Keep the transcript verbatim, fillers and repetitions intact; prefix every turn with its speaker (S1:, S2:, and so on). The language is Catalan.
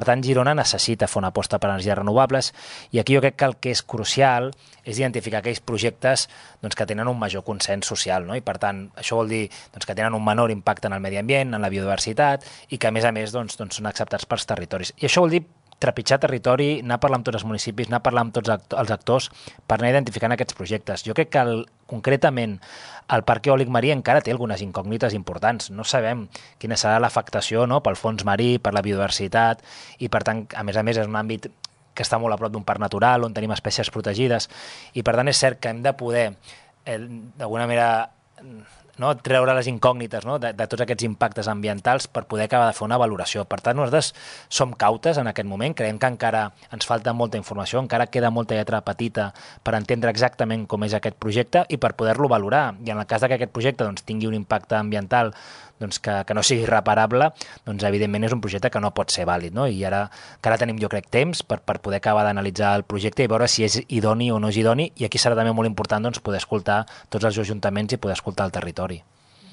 S1: Per tant, Girona necessita fer una aposta per energies renovables i aquí jo crec que el que és crucial és identificar aquells projectes doncs, que tenen un major consens social, no? I per tant, això vol dir doncs, que tenen un menor impacte en el medi ambient, en la biodiversitat i que a més a més doncs, doncs, són acceptats pels territoris. I això vol dir trepitjar territori, anar a parlar amb tots els municipis, anar a parlar amb tots els actors per anar identificant aquests projectes. Jo crec que el, concretament el parc eòlic marí encara té algunes incògnites importants. No sabem quina serà l'afectació, no?, pel fons marí, per la biodiversitat i per tant, a més a més, és un àmbit que està molt a prop d'un parc natural on tenim espècies protegides i per tant és cert que hem de poder eh, d'alguna manera no, treure les incògnites, no?, de, de tots aquests impactes ambientals per poder acabar de fer una valoració. Per tant, nosaltres som cautes en aquest moment, creiem que encara ens falta molta informació, encara queda molta lletra petita per entendre exactament com és aquest projecte i per poder-lo valorar. I en el cas que aquest projecte doncs, tingui un impacte ambiental doncs, que, que no sigui reparable, doncs evidentment és un projecte que no pot ser vàlid, no? I ara, que ara tenim, jo crec, temps per, per poder acabar d'analitzar el projecte i veure si és idoni o no és idoni, i aquí serà també molt important doncs, poder escoltar tots els ajuntaments i poder escoltar el territori.